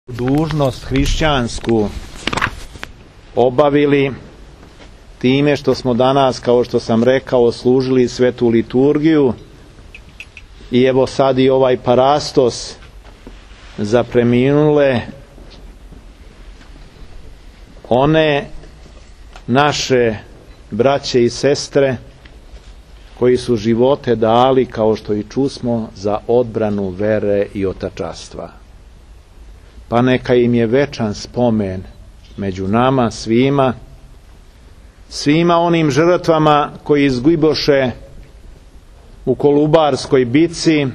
dužnost hrišćansku obavili time što smo danas, kao što sam rekao, služili svetu liturgiju i evo sad i ovaj parastos za preminule one naše braće i sestre koji su živote dali, kao što i čusmo, za odbranu vere i otačastva. Pa neka im je večan spomen među nama svima onim žrtvama koji izgiboše u Kolubarskoj bici,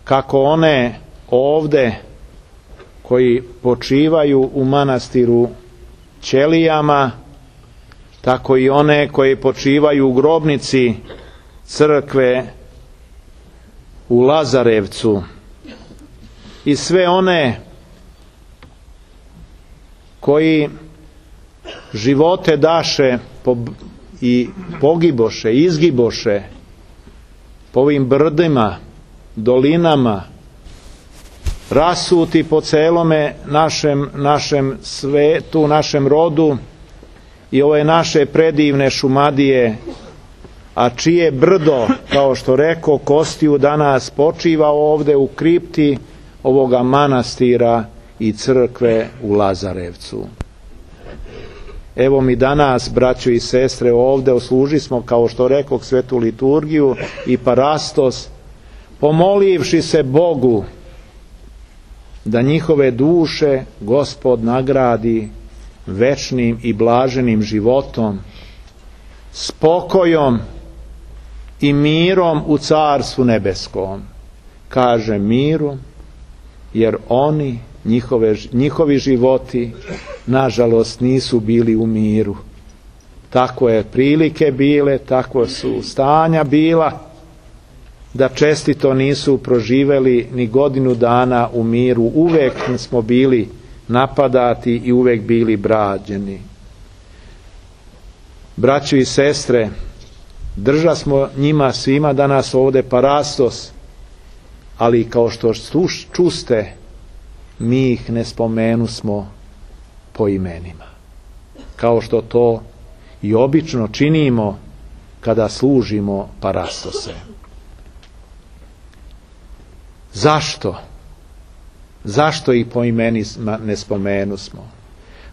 kako one ovde koji počivaju u manastiru Ćelijama, tako i one koji počivaju u grobnici crkve u Lazarevcu i sve one koji živote daše i pogiboše, izgiboše po ovim brdima, dolinama, rasuti po celome našem svetu, našem rodu i ove naše predivne Šumadije, a čije brdo, kao što rekao Kostiju, danas počiva ovde u kripti ovoga manastira i crkve u Lazarevcu. Evo mi danas, braćo i sestre, ovde osluži smo, kao što rekao, svetu liturgiju i parastos, pomolivši se Bogu da njihove duše Gospod nagradi večnim i blaženim životom, spokojom i mirom u Carstvu nebeskom. Kaže miru, jer oni, njihovi životi, nažalost, nisu bili u miru. Tako je prilike bile, tako su stanja bila, da čestito nisu proživeli ni godinu dana u miru. Uvek smo bili napadati i uvek bili brađeni. Braćo i sestre, drža smo njima svima danas ovde parastos, ali kao što čuste, mi ih ne spomenusmo po imenima, kao što to i obično činimo kada služimo parastose. Zašto? Zašto ih po imenima ne spomenusmo?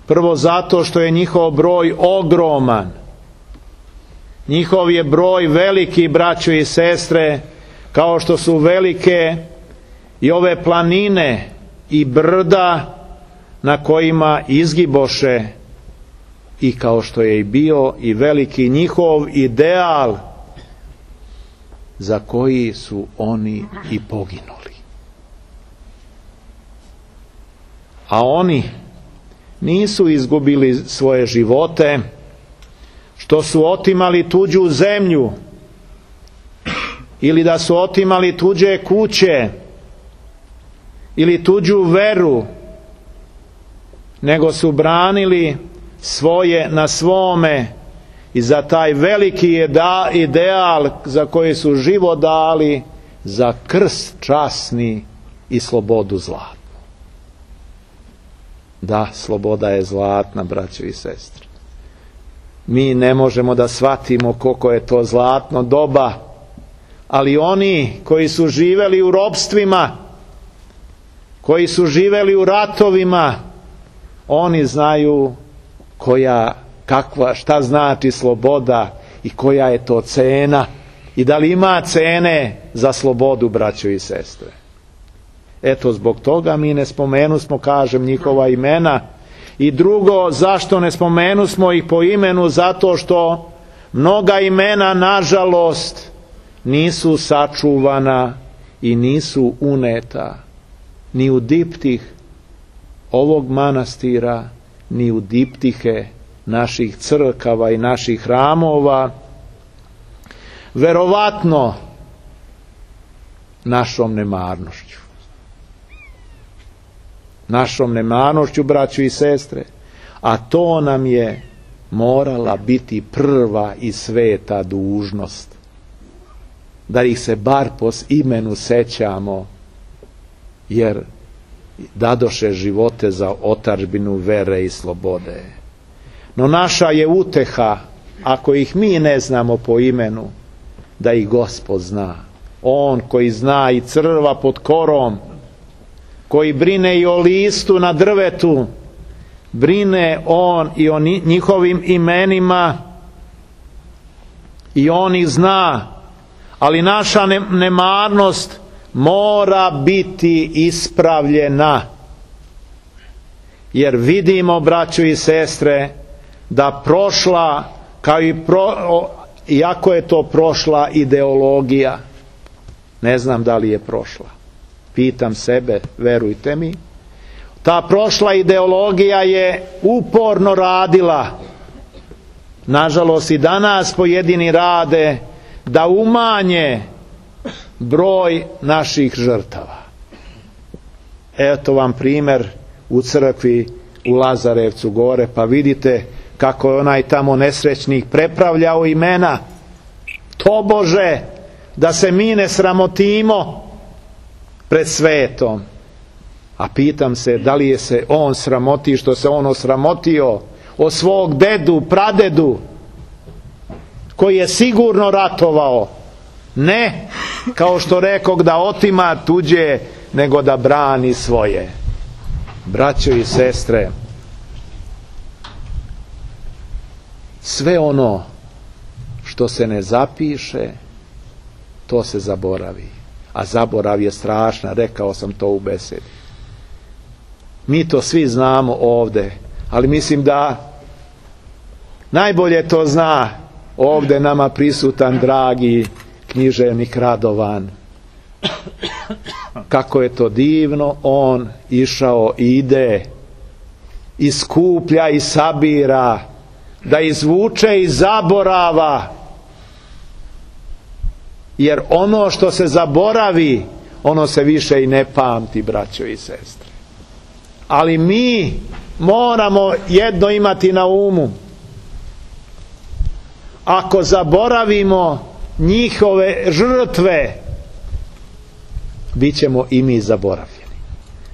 Prvo zato što je njihov broj ogroman. Njihov je broj veliki, braćo i sestre, kao što su velike i ove planine i brda na kojima izgiboše, i kao što je i bio i veliki njihov ideal za koji su oni i poginuli. A oni nisu izgubili svoje živote što su otimali tuđu zemlju ili da su otimali tuđe kuće ili tuđu veru, nego su branili svoje na svome i za taj veliki ideal za koji su život dali, za krst časni i slobodu zlatnu. Da, sloboda je zlatna, braćo i sestre. Mi ne možemo da shvatimo koliko je to zlatno doba, ali oni koji su živeli u ropstvima, koji su živeli u ratovima, oni znaju šta znači sloboda i koja je to cena i da li ima cene za slobodu, braćo i sestre. Eto, zbog toga mi ne spomenusmo, kažem, njihova imena. I drugo, zašto ne spomenusmo ih po imenu? Zato što mnoga imena, nažalost, nisu sačuvana i nisu uneta ni u diptih ovog manastira, ni u diptihe naših crkava i naših hramova, verovatno našom nemarnošću. Našom nemarnošću, braćo i sestre, a to nam je morala biti prva i sveta dužnost, da ih se bar po imenu sećamo, jer dadoše živote za otadžbinu vere i slobode. No naša je uteha, ako ih mi ne znamo po imenu, da ih Gospod zna. On koji zna i crva pod korom, koji brine i o listu na drvetu, brine on i o njihovim imenima i on ih zna, ali naša nemarnost mora biti ispravljena, jer vidimo, braćo i sestre, da prošla, kao i iako je to prošla ideologija, ne znam da li je prošla, pitam sebe, verujte mi, ta prošla ideologija je uporno radila, nažalost i danas pojedini rade, da umanje broj naših žrtava. Eto vam primjer u crkvi u Lazarevcu gore, pa vidite kako je onaj tamo nesrećnik prepravljao imena, tobože da se mi ne sramotimo pred svetom. A pitam se, da li je se on sramoti što se on osramotio o svog dedu, pradedu, koji je sigurno ratovao, ne kao što rekog da otima tuđe, nego da brani svoje. Braćo i sestre, sve ono što se ne zapiše, to se zaboravi. A zaborav je strašna, rekao sam to u besedi. Mi to svi znamo ovde, ali mislim da najbolje to zna ovde nama prisutan dragi književnik Radovan. Kako je to divno on išao i ide i skuplja i sabira, da izvuče iz zaborava, jer ono što se zaboravi, ono se više i ne pamti, braćo i sestre. Ali mi moramo jedno imati na umu. Ako zaboravimo njihove žrtve, bit ćemo i mi zaboravljeni.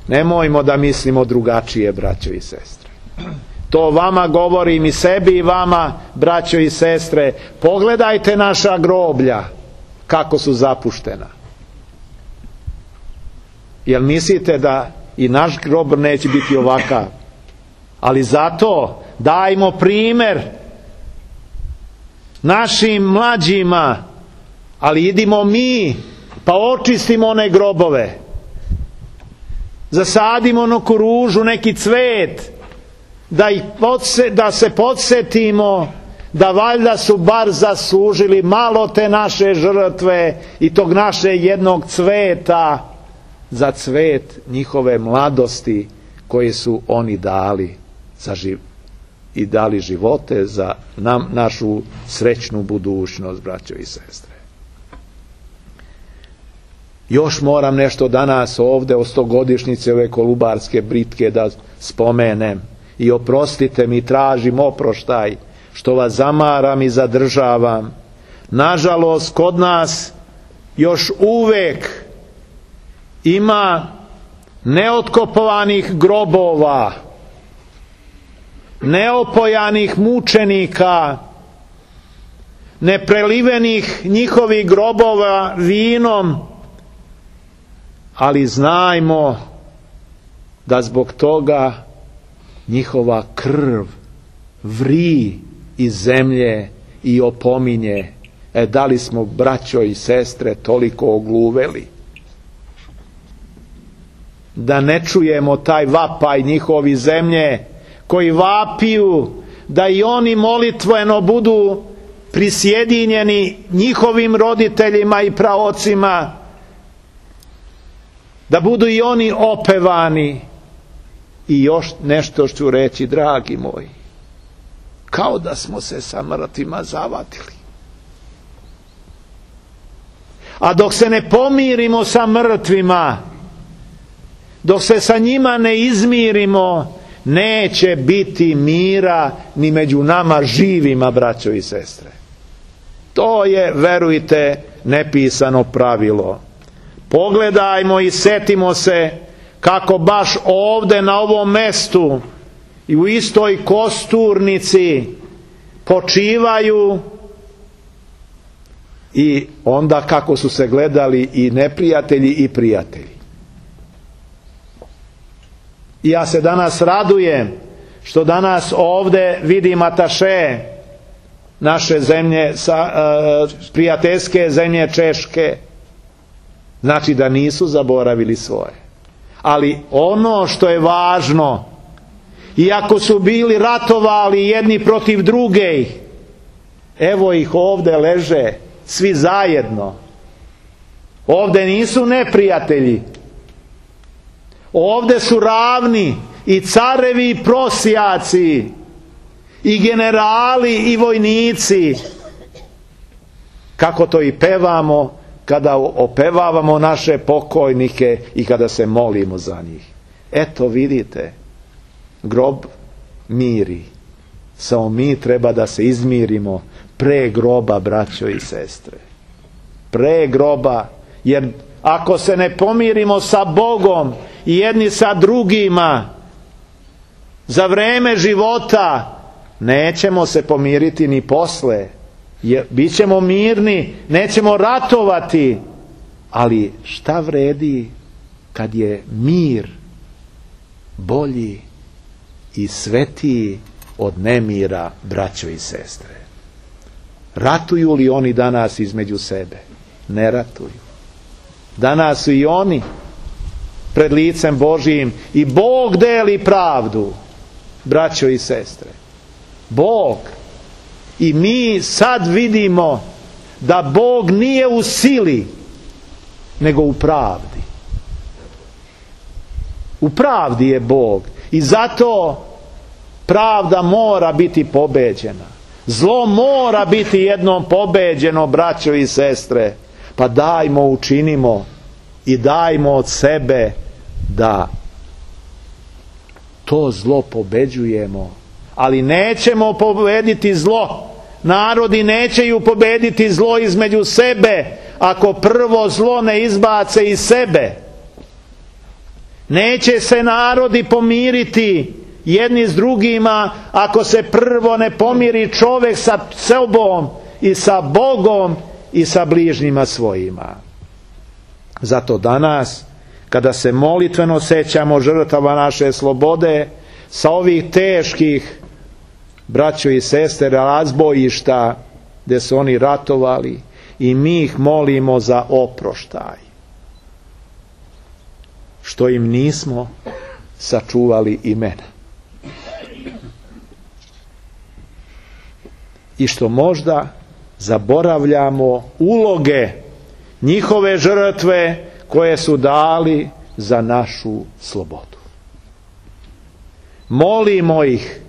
Nemojmo da mislimo drugačije, braćo i sestre. To vama govorim, i sebi i vama, braćo i sestre. Pogledajte naša groblja, kako su zapuštena. Jel mislite da i naš grob neće biti ovakav? Ali zato dajmo primjer našim mlađima, ali idimo mi pa očistimo one grobove, zasadimo neku ružu, neki cvet, da se podsjetimo da valjda su bar zaslužili malo te naše žrtve i tog naše jednog cveta za cvet njihove mladosti koje su oni dali i dali živote za našu srećnu budućnost, braćo i sestre. Još moram nešto danas ovde o 100-godišnjice ove Kolubarske bitke da spomenem. I oprostite mi, tražim oproštaj što vas zamaram i zadržavam. Nažalost, kod nas još uvek ima neotkopovanih grobova, neopojanih mučenika, neprelivenih njihovih grobova vinom, ali znajmo da zbog toga njihova krv vri iz zemlje i opominje. Da li smo, braćo i sestre, toliko ogluveli da ne čujemo taj vapaj njihovi zemlje, koji vapiju da i oni molitveno budu prisjedinjeni njihovim roditeljima i praocima, da budu i oni opevani. I još nešto ću reći, dragi moji, kao da smo se sa mrtvima zavatili. A dok se ne pomirimo sa mrtvima, dok se sa njima ne izmirimo, neće biti mira ni među nama živima, braćo i sestre. To je, verujte, nepisano pravilo. Pogledajmo i setimo se kako baš ovde na ovom mestu i u istoj kosturnici počivaju, i onda kako su se gledali i neprijatelji i prijatelji. I ja se danas radujem što danas ovde vidim ataše naše zemlje, prijateljske zemlje Češke. Znači da nisu zaboravili svoje. Ali ono što je važno, iako su bili ratovali jedni protiv drugih, evo ih ovde leže svi zajedno. Ovde nisu neprijatelji. Ovde su ravni i carevi i prosjaci, i generali i vojnici. Kako to i pevamo kada opevavamo naše pokojnike i kada se molimo za njih. Eto vidite, grob miri. Samo mi treba da se izmirimo pre groba, braćo i sestre. Pre groba, jer ako se ne pomirimo sa Bogom i jedni sa drugima za vreme života, nećemo se pomiriti ni posle. Bićemo mirni, nećemo ratovati, ali šta vredi kad je mir bolji i svetiji od nemira, braćo i sestre? Ratuju li oni danas između sebe? Ne ratuju. Danas su i oni pred licem Božijim i Bog deli pravdu, braćo i sestre. Bog. I mi sad vidimo da Bog nije u sili, nego u pravdi. U pravdi je Bog. I zato pravda mora biti pobeđena. Zlo mora biti jednom pobeđeno, braćo i sestre. Pa dajmo, učinimo i dajmo od sebe da to zlo pobeđujemo. Ali nećemo pobediti zlo. Narodi nećeju pobediti zlo između sebe ako prvo zlo ne izbace iz sebe. Neće se narodi pomiriti jedni s drugima ako se prvo ne pomiri čovjek sa sobom i sa Bogom i sa bližnjima svojima. Zato danas, kada se molitveno sećamo žrtava naše slobode, sa ovih teških, braćo i sestre, razbojišta gdje su oni ratovali, i mi ih molimo za oproštaj, što im nismo sačuvali imena i što možda zaboravljamo uloge njihove žrtve koje su dali za našu slobodu. Molimo ih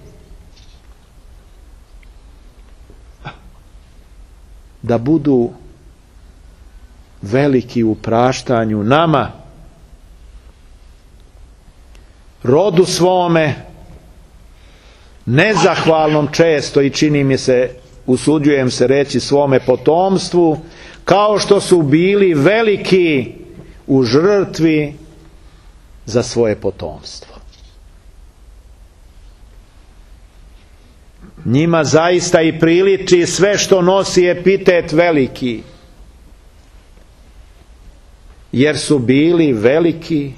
da budu veliki u praštanju nama, rodu svome, nezahvalnom često, i čini mi se, usuđujem se reći, svome potomstvu, kao što su bili veliki u žrtvi za svoje potomstvo. Njima zaista i priliči sve što nosi epitet veliki, jer su bili veliki,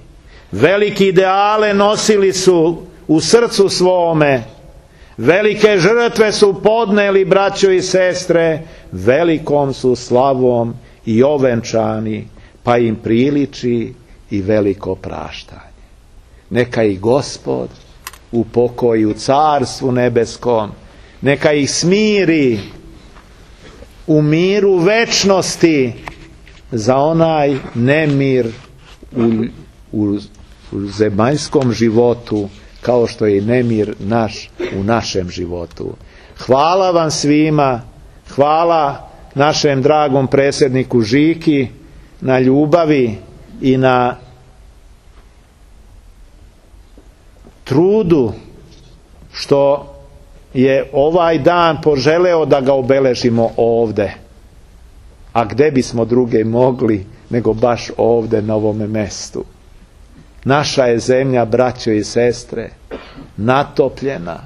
veliki ideale nosili su u srcu svome, velike žrtve su podneli, braćo i sestre, velikom su slavom i ovenčani, pa im priliči i veliko praštanje. Neka ih Gospod upokoji u Carstvu nebeskom, neka ih smiri u miru večnosti za onaj nemir u zemaljskom životu, kao što je i nemir naš u našem životu. Hvala vam svima, hvala našem dragom predsjedniku Žiki na ljubavi i na trudu što je ovaj dan poželeo da ga obeležimo ovde. A gde bismo druge mogli nego baš ovde na ovome mestu? Naša je zemlja, braćo i sestre, natopljena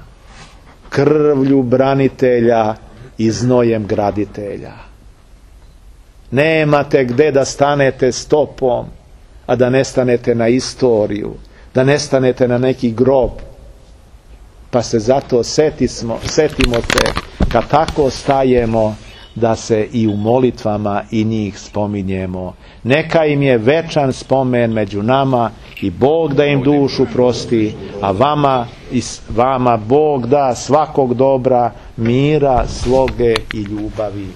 krvlju branitelja i znojem graditelja. Nemate gde da stanete stopom, a da ne stanete na istoriju, da ne stanete na neki grob. Pa se zato setimo se kad tako stajemo, da se i u molitvama i njih spominjemo. Neka im je večan spomen među nama i Bog da im dušu prosti, a vama Bog da svakog dobra, mira, sloge i ljubavi.